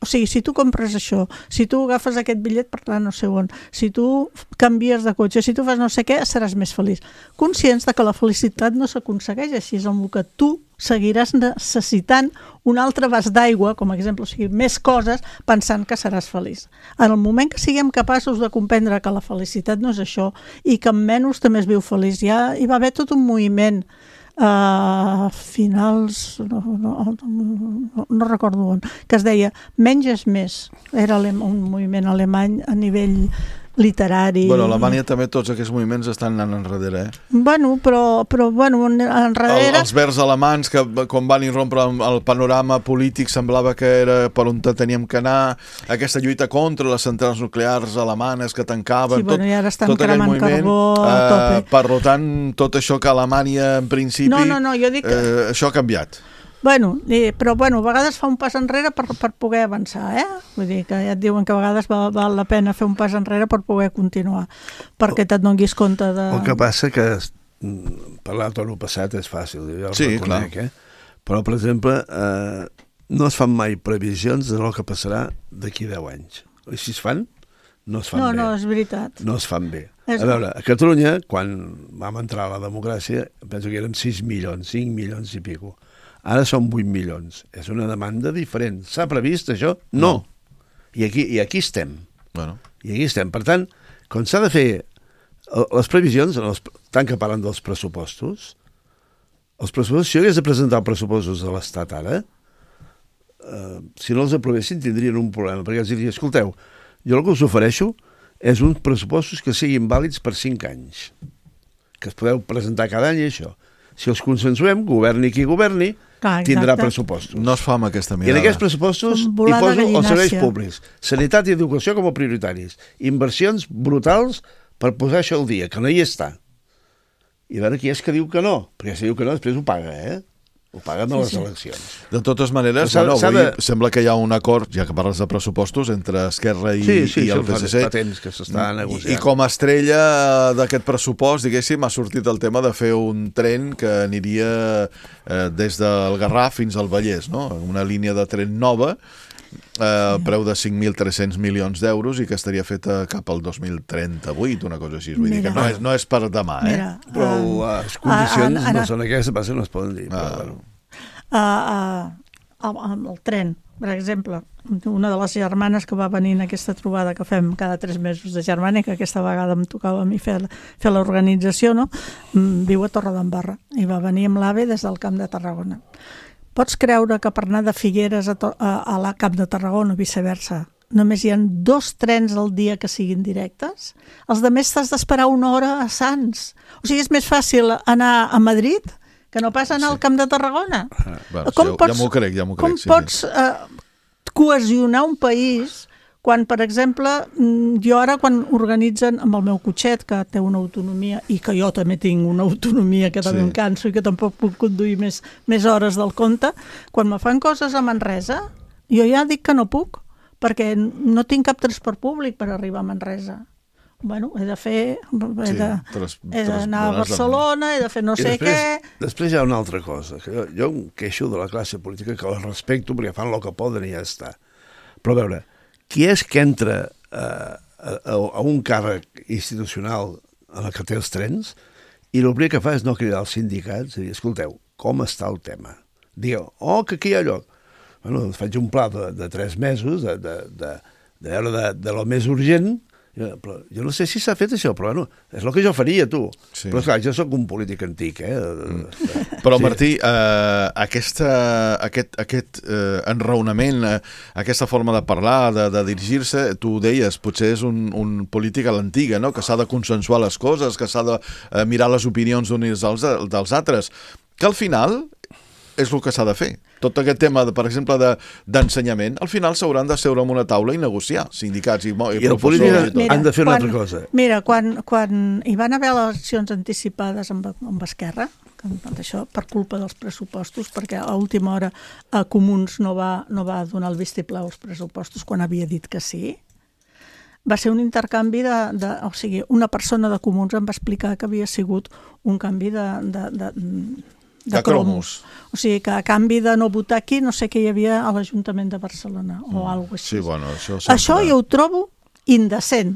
O sigui, si tu compres això, si tu agafes aquest bitllet per anar no sé on, si tu canvies de cotxe, si tu fas no sé què, seràs més feliç. Conscients de que la felicitat no s'aconsegueix així, és amb el que tu seguiràs necessitant un altre vas d'aigua, com a exemple, o sigui, més coses, pensant que seràs feliç. En el moment que siguem capaços de comprendre que la felicitat no és això i que amb menys també es viu feliç, ja hi va haver tot un moviment finals no recordo on, que es deia menys és més, era un moviment alemany a nivell literari. Bueno, a Alemanya també tots aquests moviments estan anant enrere, Bueno, però enrere... Els verds alemans, que quan van irrompre el panorama polític semblava que era per on teníem que anar, aquesta lluita contra les centrals nuclears alemanes que tancaven, sí, i ara estan cremant carbó a tope. Per tant, tot això que Alemanya en principi... No, jo dic que... això ha canviat. Però a vegades fa un pas enrere per poder avançar, Vull dir que ja et diuen que a vegades val la pena fer un pas enrere per poder continuar, perquè te'n donis compte de... El que passa que parlar de tot el passat és fàcil, jo el reconec, però, per exemple, no es fan mai previsions de lo que passarà d'aquí 10 anys. I si es fan, no es fan bé. No, és veritat. No es fan bé. A veure, a Catalunya, quan vam entrar a la democràcia, penso que érem 6 milions, 5 milions i pico. Ara són 8 milions. És una demanda diferent. S'ha previst això? No. I aquí estem. Bueno. I aquí estem. Per tant, quan s'ha de fer les previsions, tant que parlen dels pressupostos, si jo hagués de presentar els pressupostos de l'Estat ara, si no els aprovessin tindrien un problema, perquè els diria, escolteu, jo el que us ofereixo és uns pressupostos que siguin vàlids per 5 anys, que es podeu presentar cada any i això. Si els consensuem, governi qui governi, tindrà pressupostos. No es fa amb aquesta mirada. I en aquests pressupostos hi poso els serveis públics, sanitat i educació com a prioritaris, inversions brutals per posar això al dia, que no hi està. I a veure qui és que diu que no, perquè si diu que no després ho paga, ho paguen a les eleccions. De totes maneres, sembla que hi ha un acord, ja que parles de pressupostos, entre Esquerra i el PSC. Fa temps que s'està negociant. I com a estrella d'aquest pressupost, diguéssim, ha sortit el tema de fer un tren que aniria des del Garraf fins al Vallès, no? Una línia de tren nova, preu de 5.300 milions d'euros i que estaria feta cap al 2038, una cosa així. Vull dir que no és per demà, Però les condicions no són aquestes, no es poden dir. El tren, per exemple, una de les germanes que va venir en aquesta trobada que fem cada 3 mesos de Germànica, que aquesta vegada em tocava a mi fer l'organització, no? Viu a Torredembarra i va venir amb l'AVE des del Camp de Tarragona. Pots creure que per anar de Figueres a la Camp de Tarragona o viceversa només hi ha 2 trens al dia que siguin directes? Els altres t'has d'esperar 1 hora a Sants. O sigui, és més fàcil anar a Madrid que no pas anar al Camp de Tarragona. Ja m'ho crec. Com pots cohesionar un país quan, per exemple, jo ara quan organitzen amb el meu cotxet, que té una autonomia, i que jo també tinc una autonomia que també em canso i que tampoc puc conduir més hores del compte, quan me fan coses a Manresa, jo ja dic que no puc, perquè no tinc cap transport públic per arribar a Manresa. Bueno, he d'anar a Barcelona, he de fer no sé què... Després hi ha una altra cosa, que jo em queixo de la classe política, que la respecto perquè fan el que poden i ja està. Però a veure, qui és que entra a un càrrec institucional en el que té els trens i el primer que fa és no cridar als sindicats i dir, escolteu, com està el tema? Digueu, que aquí hi ha lloc. Bueno, faig un pla de 3 mesos de lo més urgent, però jo no sé si s'ha fet això, però bueno, és el que jo faria, tu. Sí. Però esclar, jo sóc un polític antic, Però, Martí, aquest enraonament, aquesta forma de parlar, de dirigir-se, tu ho deies, potser és un polític a l'antiga, no? Que s'ha de consensuar les coses, que s'ha de mirar les opinions d'uns dels altres, que al final és el que s'ha de fer. Tot aquest tema, per exemple, d'ensenyament, al final s'hauran de seure en una taula i negociar, sindicats i el polític han de fer una altra cosa. Mira, quan hi van haver eleccions anticipades amb Esquerra, això per culpa dels pressupostos, perquè a última hora Comuns no va donar el vistiplau als pressupostos quan havia dit que sí, va ser un intercanvi o sigui, una persona de Comuns em va explicar que havia sigut un canvi de cromos. O sigui, que a canvi de no votar aquí, no sé què hi havia a l'Ajuntament de Barcelona o alguna cosa així. Sí, bueno, això jo ho trobo indecent.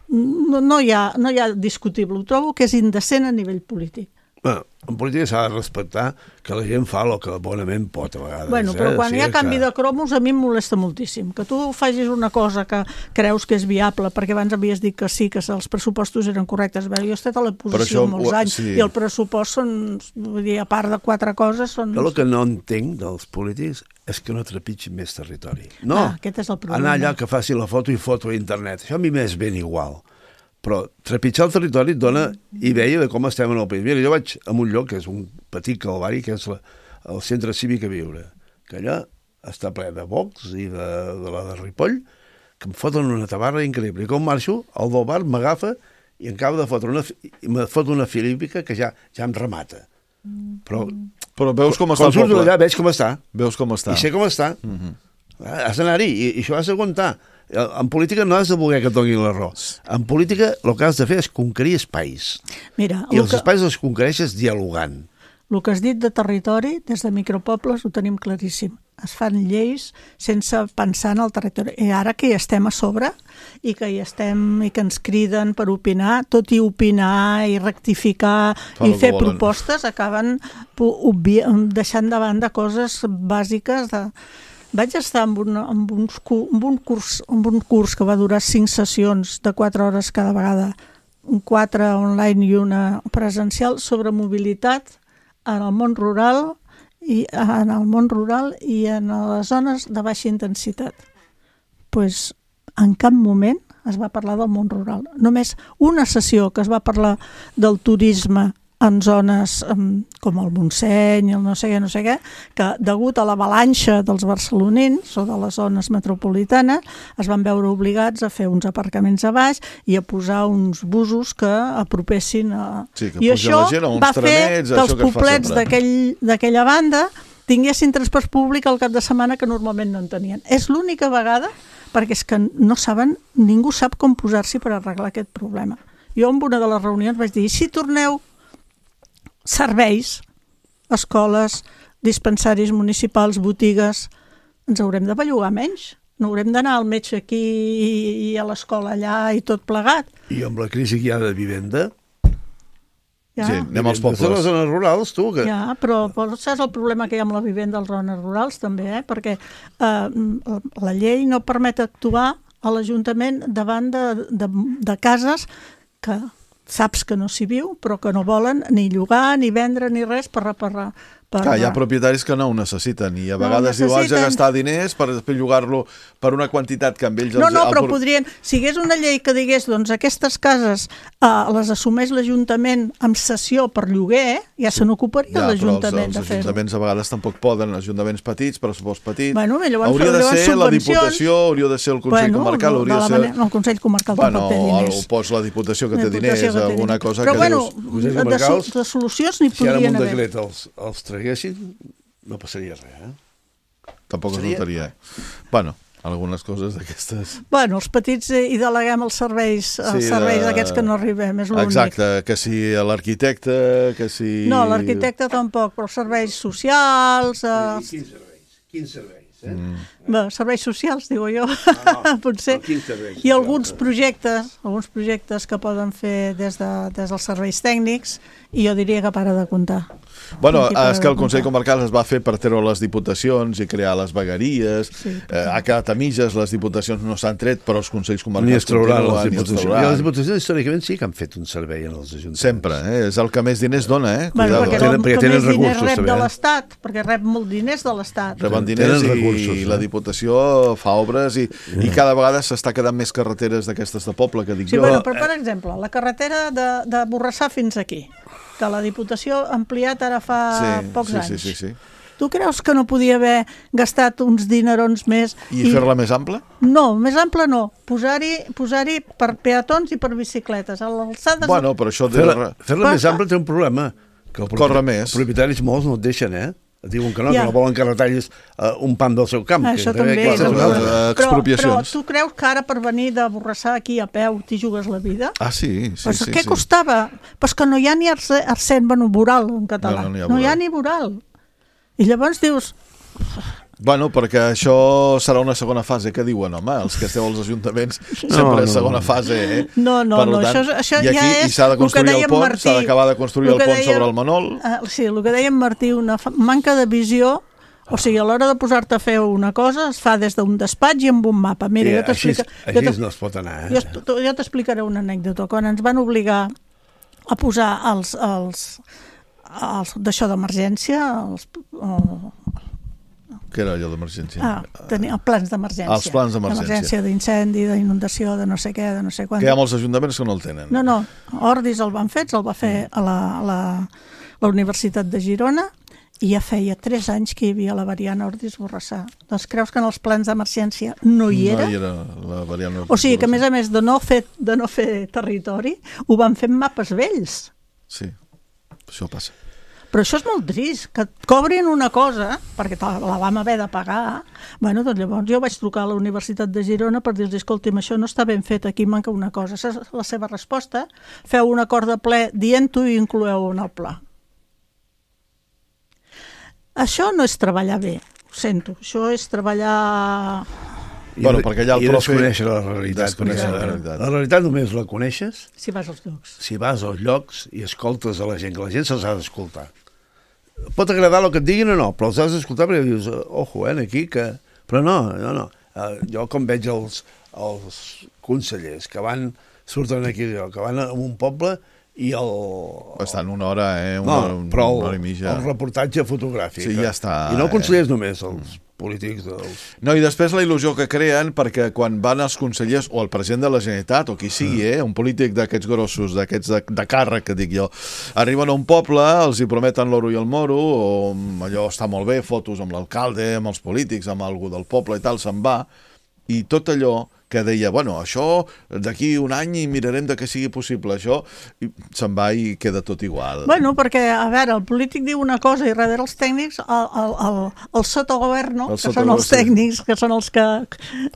No hi ha discutible, ho trobo que és indecent a nivell polític. Bueno, en política s'ha de respectar que la gent fa el que bonament pot a vegades. Bueno, però quan hi ha canvi de cromos a mi em molesta moltíssim. Que tu facis una cosa que creus que és viable, perquè abans havies dit que sí, que els pressupostos eren correctes. Jo he estat a l'oposició molts anys i el pressupost són, vull dir, a part de 4 coses... Jo el que no entenc dels polítics és que no trepitgin més territori. No, aquest és el problema. Anar allà que faci la foto i foto a internet. Això a mi m'és ben igual. Però trepitjar el territori et dona idea de com estem en el país. Mira, jo vaig a un lloc que és un petit calvari, que és el Centre Cívic a Viure, que allà està ple de Vox i de la de Ripoll, que em foten una tabarra increïble. I com marxo, el del bar m'agafa i em acaba de fotre una filípica que ja em remata. Però veus com està el poble. Quan surto d'allà veig com està. Veus com està. I sé com està. Has d'anar-hi i això has d'aguantar. En política no has de voler que et donin l'arròs. En política el que has de fer és conquerir espais. Mira, i els espais els conquereixes dialogant. El que has dit de territori, des de micropobles ho tenim claríssim. Es fan lleis sense pensar en el territori. I ara que hi estem a sobre i que hi estem i que ens criden per opinar, tot i opinar i rectificar i fer propostes, acaben deixant de banda coses bàsiques de... Vaig estar en un curs que va durar 5 sessions de 4 hores cada vegada, 4 online i una presencial, sobre mobilitat en el món rural i en les zones de baixa intensitat. Doncs en cap moment es va parlar del món rural. Només una sessió que es va parlar del turisme en zones com el Montseny, el no sé què, que degut a l'avalanxa dels barcelonins o de les zones metropolitanes es van veure obligats a fer uns aparcaments a baix i a posar uns busos que apropessin a... Sí, que pugen la gent a uns tramets, que els poblets d'aquella banda tinguessin transport públic al cap de setmana que normalment no en tenien. És l'única vegada, perquè és que no saben, ningú sap com posar-s'hi per arreglar aquest problema. Jo en una de les reunions vaig dir, si torneu serveis, escoles, dispensaris municipals, botigues, ens haurem de bellugar menys. No haurem d'anar al metge aquí i a l'escola allà i tot plegat. I amb la crisi que hi ha de vivenda... Ja. Sí, anem als pobles. De les zones rurals, tu... Que... Ja, però saps el problema que hi ha amb la vivenda a les zones rurals, també, perquè la llei no permet actuar a l'Ajuntament davant de cases que... saps que no s'hi viu, però que no volen ni llogar, ni vendre, ni res per reparar. Clar, hi ha propietaris que no ho necessiten i a vegades diu, haig de gastar diners per després llogar-lo per una quantitat que amb ells... No, però podrien... Si hi hagués una llei que digués, doncs aquestes cases les assumeix l'Ajuntament amb cessió per lloguer, ja se n'ocuparia l'Ajuntament de fer-ho. Els ajuntaments a vegades tampoc poden, ajuntaments petits, pressupost petit... Hauria de ser la Diputació, hauria de ser el Consell Comarcal, hauria de ser... El Consell Comarcal tampoc té diners. O pots la Diputació que té diners, alguna cosa que dius... Però de solucions n'hi podrien haver. Si ara amb un decret els traguessin, no passaria res, Tampoc es notaria. Bueno, algunes coses d'aquestes... Bueno, els petits hi deleguem els serveis d'aquests que no arribem, és l'únic. Exacte, que si l'arquitecte, que si... No, l'arquitecte tampoc, però els serveis socials... Quins serveis? Bé, serveis socials, digo jo, potser. I alguns projectes que poden fer des dels serveis tècnics, i jo diria que para de comptar. Bueno, és que el Consell Comarcal es va fer per treure les diputacions i crear les vegueries. Ha quedat a mitges, les diputacions no s'han tret, però els Consells Comarcals continuen. I les diputacions històricament sí que han fet un servei en els ajuntaments. Sempre, és el que més diners dona, perquè més diners rep de l'Estat, perquè rep molt diners de l'Estat. Reben diners i la Diputació fa obres i cada vegada s'està quedant més carreteres d'aquestes de poble, que dic jo. Però, per exemple, la carretera de Borrassà fins aquí, que la Diputació ha ampliat ara fa pocs anys. Sí. Tu creus que no podia haver gastat uns dinerons més? I fer-la més ampla? No, més ampla no. Posar-hi per peatons i per bicicletes. Bueno, però això... Fer-la més ampla té un problema. Corre més. Els propietaris molts no et deixen, Et diuen que no volen que retallis un pam del seu camp. Això també. Però tu creus que ara per venir de Borrassà aquí a peu t'hi jugues la vida? Ah, sí. Què costava? Però que no hi ha ni accent voral en català. No hi ha ni voral. I llavors dius... Bueno, perquè això serà una segona fase, que diuen, home, els que esteu als ajuntaments sempre és segona fase, No, això ja és... I s'ha de construir el pont, s'ha d'acabar de construir el pont sobre el Manol. Sí, el que deia en Martí, una manca de visió, o sigui, a l'hora de posar-te a fer una cosa es fa des d'un despatx i amb un mapa. Mira, així no es pot anar. Jo t'explicaré una anècdota. Quan ens van obligar a posar els d'això d'emergència, Què era allò d'emergència? Tenia plans d'emergència. Els plans d'emergència. D'emergència, d'incendi, d'inundació, de no sé què, de no sé quant. Que hi ha molts ajuntaments que no el tenen. No, Ordis el van fer, el va fer a la Universitat de Girona i ja feia 3 anys que hi havia la variant Ordis-Borrassà. Doncs creus que en els plans d'emergència no hi era? No hi era la variant Ordis-Borrassà. O sigui que, a més de no fer territori, ho van fer en mapes vells. Sí, això passa. Però això és molt trist, que et cobrin una cosa, perquè la vam haver de pagar. Bueno, doncs llavors jo vaig trucar a la Universitat de Girona per dir-los, escolti'm, això no està ben fet, aquí manca una cosa. Aquesta és la seva resposta. Feu un acord de ple dient-ho i incloeu en el pla. Això no és treballar bé, ho sento. Això és treballar... Bueno, perquè allà el profe... desconèixer la realitat. La realitat només la coneixes si vas als llocs. Si vas als llocs i escoltes a la gent, que la gent se'ls ha d'escoltar. Pot agradar el que et diguin o no, però els has d'escoltar perquè dius, ojo, aquí que... Però no. Jo com veig els consellers que surten aquí, que van a un poble i estan una hora, una hora i mitja. El reportatge fotogràfic. Sí, ja està. I no consellers només, els polítics No, i després la il·lusió que creen, perquè quan van els consellers o el president de la Generalitat o qui sigui, un polític d'aquests grossos, d'aquests de càrrec, que dic jo, arriben a un poble, els hi prometen l'oro i el moro, o allò està molt bé, fotos amb l'alcalde, amb els polítics, amb algú del poble i tal, se'n va, i tot allò que deia, bueno, això d'aquí un any i mirarem de que sigui possible, això se'n va i queda tot igual. Bueno, perquè, a veure, el polític diu una cosa i darrere els tècnics, el sotogoverno, que són els tècnics, que són els que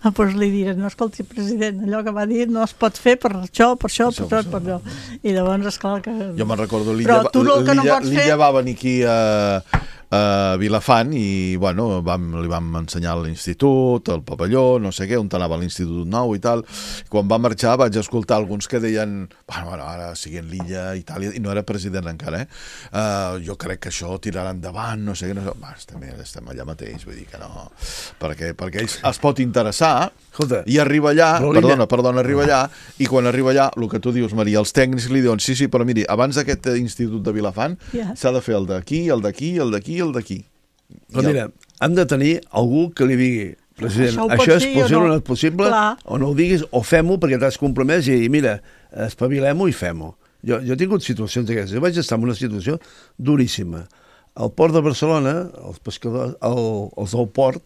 doncs li diuen, no, escolti, president, allò que va dir no es pot fer per això, per allò. I llavors, esclar que... Jo me'n recordo, l'Illa va venir aquí a Vilafant i, bueno, li vam ensenyar l'institut, el pavelló, no sé què, on anava l'Institut Nou i tal. Quan va marxar vaig escoltar alguns que deien, bueno, ara siguin l'Illa, Itàlia, i no era president encara, jo crec que això tirarà endavant, no sé què, estem allà mateix, vull dir que no, perquè ells es pot interessar i arriba allà, arriba allà, i quan arriba allà, el que tu dius, Maria, els tècnics li diuen, sí, però miri, abans d'aquest institut de Vilafant s'ha de fer el d'aquí, el d'aquí, el d'aquí, el d'aquí. Però mira, hem de tenir algú que li digui, president, això és possible o no és possible, o no ho diguis, o fem-ho perquè t'has compromès i mira, espavilem-ho i fem-ho. Jo he tingut situacions d'aquestes, jo vaig estar en una situació duríssima. Al port de Barcelona, els pescadors, els del port,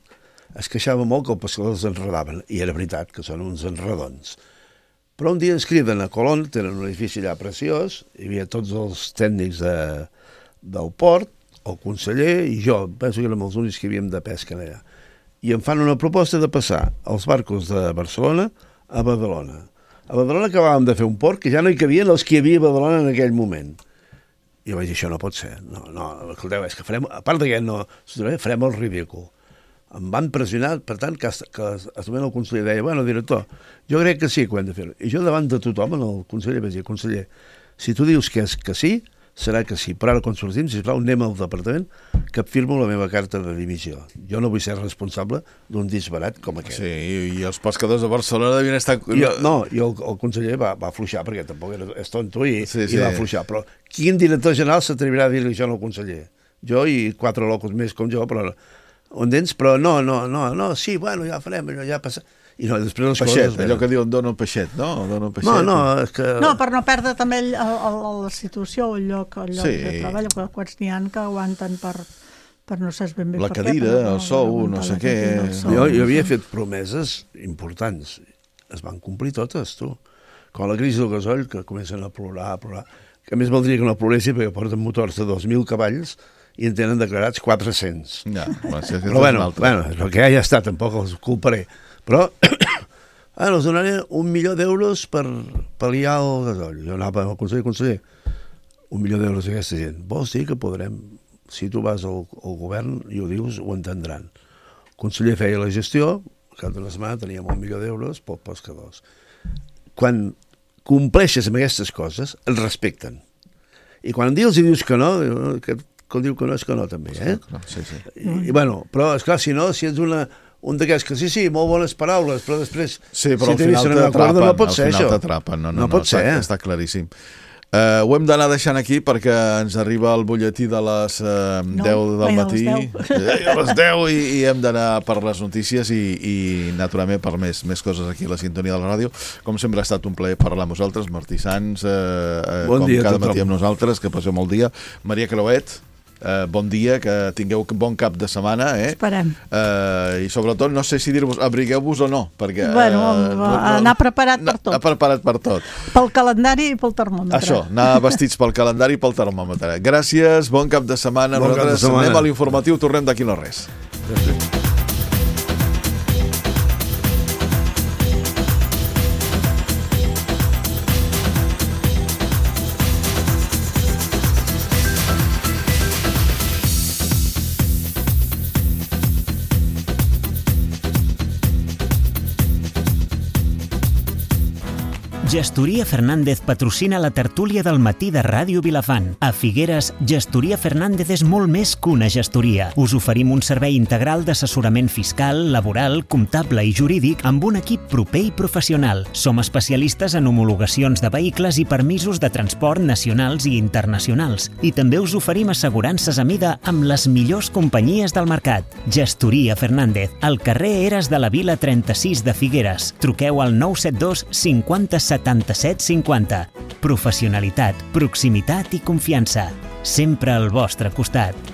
es queixava molt que els pescadors enredaven, i era veritat que són uns enredons. Però un dia ens criden a Colón, tenen un edifici allà preciós, hi havia tots els tècnics del port, el conseller i jo, penso que érem els únics que havíem de pesca allà. I em fan una proposta de passar els barcos de Barcelona a Badalona. A Badalona acabàvem de fer un port que ja no hi cabien els que hi havia a Badalona en aquell moment. I jo vaig dir, això no pot ser. No, escolteu, és que farem, a part d'aquest no, farem el ridícul. Em van pressionar, per tant, que el conseller deia, bueno, director, jo crec que sí que ho hem de fer. I jo davant de tothom, el conseller vaig dir, conseller, si tu dius que és que sí, serà que sí, però ara quan sortim, sisplau, anem al departament que firmo la meva carta de dimissió. Jo no vull ser responsable d'un disbarat com aquest. Sí, i els pescadors de Barcelona devien estar... No, i el conseller va afluixar, perquè tampoc és tonto i va afluixar. Però quin director general s'atrevirà a dir-li això al conseller? Jo i 4 locos més com jo, però... Però no, sí, bueno, ja farem, allò ja passa... I no, després les coses... allò que diuen dona un peixet, no? No, és que... No, per no perdre també la situació o el lloc de treball, quants n'hi ha que aguanten per no saps ben bé la cadira, el sou, no sé què... Jo havia fet promeses importants, es van complir totes, tu. Quan la crisi del gasoll, que comencen a plorar, que a més valdria que no ploressi perquè porten motors de 2.000 cavalls i en tenen declarats 400. Ja, però bueno, és el que ja està, tampoc els culparé. Però els donaré 1 milió d'euros per pal·liar el gasoll. Jo anava al conseller, 1 milió d'euros aquesta gent. Vols dir que podrem, si tu vas al govern i ho dius, ho entendran. El conseller feia la gestió, cada una setmana teníem 1 milió d'euros pels pescadors. Quan compleixes amb aquestes coses, et respecten. I quan dius que no, que diu que no és que no també, eh? Sí. I bueno, però esclar, si no, si ets un d'aquests que sí, molt bones paraules, però després sí, però si al final t'atrapen, no pot ser això. No pot ser, està claríssim. Ho hem d'anar deixant aquí perquè ens arriba el butlletí de les 10 del matí. A les 10 i hem d'anar per les notícies i naturalment per més coses aquí a la sintonia de la ràdio. Com sempre ha estat un plaer parlar amb vosaltres. Martí Sans, com cada matí amb nosaltres, que passeu molt dia. Maria Creuet, bon dia, que tingueu bon cap de setmana. Esperem. I sobretot, no sé si dir-vos, abrigueu-vos o no, perquè... Bueno, anar preparat per tot. Preparat per tot. Pel calendari i pel termòmetre. Això, anar vestits pel calendari i pel termòmetre. Gràcies, bon cap de setmana. Nosaltres anem a l'informatiu, tornem d'aquí no res. Gràcies. Gestoria Fernández patrocina la tertúlia del matí de Ràdio Vilafant. A Figueres, Gestoria Fernández és molt més que una gestoria. Us oferim un servei integral d'assessorament fiscal, laboral, comptable i jurídic amb un equip proper i professional. Som especialistes en homologacions de vehicles i permisos de transport nacionals i internacionals. I també us oferim assegurances a mida amb les millors companyies del mercat. Gestoria Fernández, al carrer Eres de la Vila 36 de Figueres. Truqueu al 972 50 77 50. Professionalitat, proximitat i confiança. Sempre al vostre costat.